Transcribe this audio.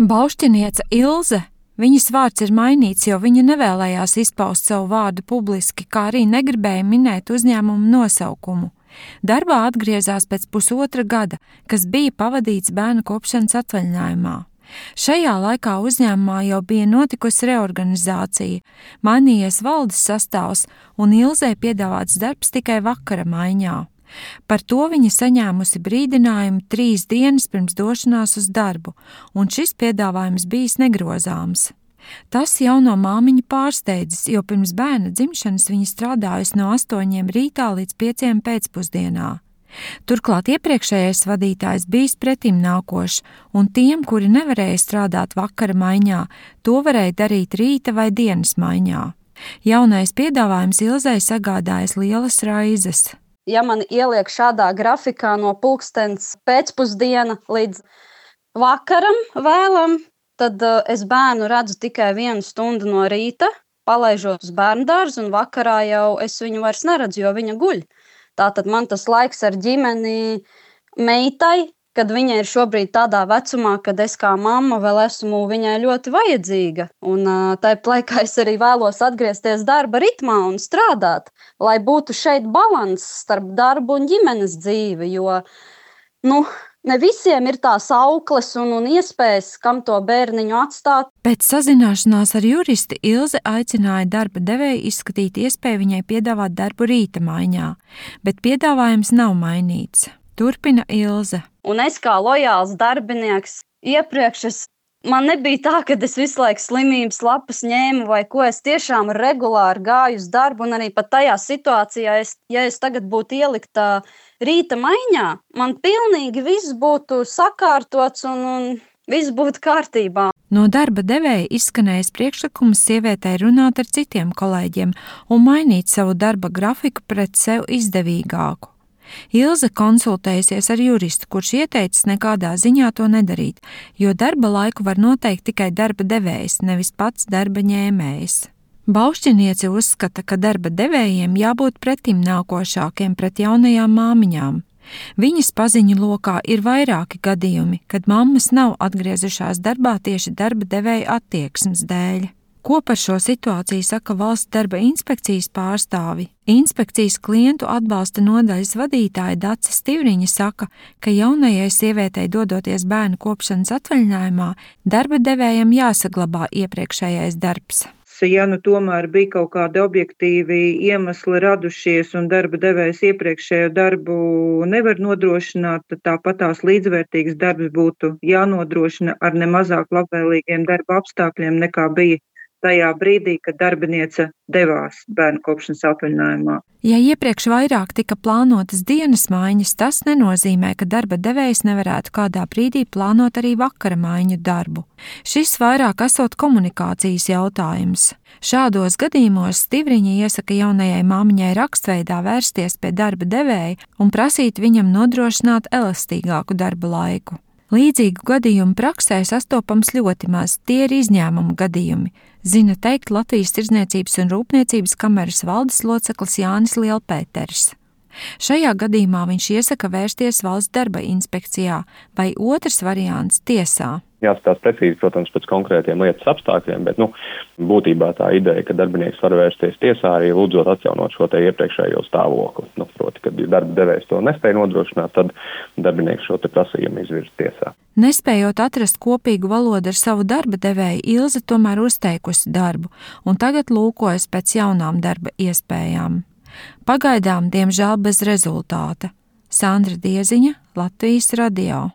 Baušķiniece Ilze. Viņas vārds ir mainīts, jo viņa nevēlējās izpaust savu vārdu publiski, kā arī negribēja minēt uzņēmumu nosaukumu. Darbā atgriezās pēc pusotra gada, kas bija pavadīts bērnu kopšanas atvaļinājumā. Šajā laikā uzņēmumā jau bija notikusi reorganizācija, mainījies valdes sastāvs un Ilzei piedāvāts darbs tikai vakara maiņā. Par to viņa saņēmusi brīdinājumu 3 dienas pirms došanās uz darbu, un šis piedāvājums bijis negrozāms. Tas jauno māmiņu pārsteidzis, jo pirms bērna dzimšanas viņa strādājusi no 8 rītā līdz 5 pēcpusdienā. Turklāt iepriekšējais vadītājs bijis pretim nākošs, un tiem, kuri nevarēja strādāt vakara maiņā, to varēja darīt rīta vai dienas maiņā. Jaunais piedāvājums Ilzei sagādājas lielas raizes. Ja man ieliek šādā grafikā no pulkstens pēcpusdiena līdz vakaram vēlam, tad es bērnu redzu tikai 1 stundu no rīta, palaižot uz bērndārzu, un vakarā jau es viņu vairs neredzu, jo viņa guļ. Tātad man tas laiks ar ģimeni meitai, kad viņa ir šobrīd tādā vecumā, kad es kā mamma vēl esmu viņai ļoti vajadzīga. Un tāpat laikā es arī vēlos atgriezties darba ritmā un strādāt, lai būtu šeit balanss starp darbu un ģimenes dzīvi, jo ne visiem ir tās aukles un iespējas, kam to bērniņu atstāt. Pēc sazināšanās ar juristi Ilze aicināja darba devēju izskatīt iespēju viņai piedāvāt darbu rīta maiņā, bet piedāvājums nav mainīts. Turpina Ilze. Un es kā lojāls darbinieks iepriekš man nebija tā, ka es visu laiku slimības lapas ņēmu vai ko. Es tiešām regulāri gāju uz darbu, un arī pat tajā situācijā, ja es tagad būtu ielikta rīta maiņā, man pilnīgi viss būtu sakārtots un viss būtu kārtībā. No darba devēja izskanējis priekšlikums sievietei runāt ar citiem kolēģiem un mainīt savu darba grafiku pret sev izdevīgāku. Ilze konsultējusies ar juristu, kurš ieteicis nekādā ziņā to nedarīt, jo darba laiku var noteikt tikai darba devējs, nevis pats darba ņēmējs. Baušķiniece uzskata, ka darba devējiem jābūt pretim nākošākiem pret jaunajām māmiņām. Viņas paziņu lokā ir vairāki gadījumi, kad mammas nav atgriezušās darbā tieši darba devēja attieksmes dēļ. Ko par šo situāciju saka Valsts darba inspekcijas pārstāvi? Inspekcijas klientu atbalsta nodaļas vadītāja Dace Stivriņa saka, ka jaunajai sievietei dodoties bērnu kopšanas atvaļinājumā, darba devējam jāsaglabā iepriekšējais darbs. Ja tomēr bija kaut kādi objektīvi iemesli radušies un darba devējs iepriekšējo darbu nevar nodrošināt, tad tāpat tās līdzvērtīgs darbs būtu jānodrošina ar nemazāk labvēlīgiem darba apstākļiem nekā bija tajā brīdī, kad darbiniece devās bērnu kopšanas atvaļinājumā. Ja iepriekš vairāk tika plānotas dienas maiņas, tas nenozīmē, ka darba devējs nevarētu kādā brīdī plānot arī vakara maiņu darbu. Šis vairāk esot komunikācijas jautājums. Šādos gadījumos Stivriņa iesaka jaunajai māmiņai rakstveidā vērsties pie darba devēja un prasīt viņam nodrošināt elastīgāku darba laiku. Līdzīgu gadījumu praksē sastopams ļoti maz, tie ir izņēmumu gadījumi, zina teikt Latvijas Tirdzniecības un Rūpniecības kameras valdes loceklis Jānis Lielpēters. Šajā gadījumā viņš iesaka vērsties Valsts darba inspekcijā vai otrs variants tiesā. Jāskatās precīzi, protams, pēc konkrētiem lietas apstākļiem, bet būtībā tā ideja, ka darbinieks var vērsties tiesā arī lūdzot atjaunot šo te iepriekšējo stāvokli. Proti, kad darba devējs to nespēja nodrošināt, tad darbinieks šo te prasījumu izvirza tiesā. Nespējot atrast kopīgu valodu ar savu darba devēju, Ilze tomēr uzteikusi darbu un tagad lūkojas pēc jaunām darba iespējām. Pagaidām, diemžēl, bez rezultāta. Sandra Dieziņa, Latvijas radio.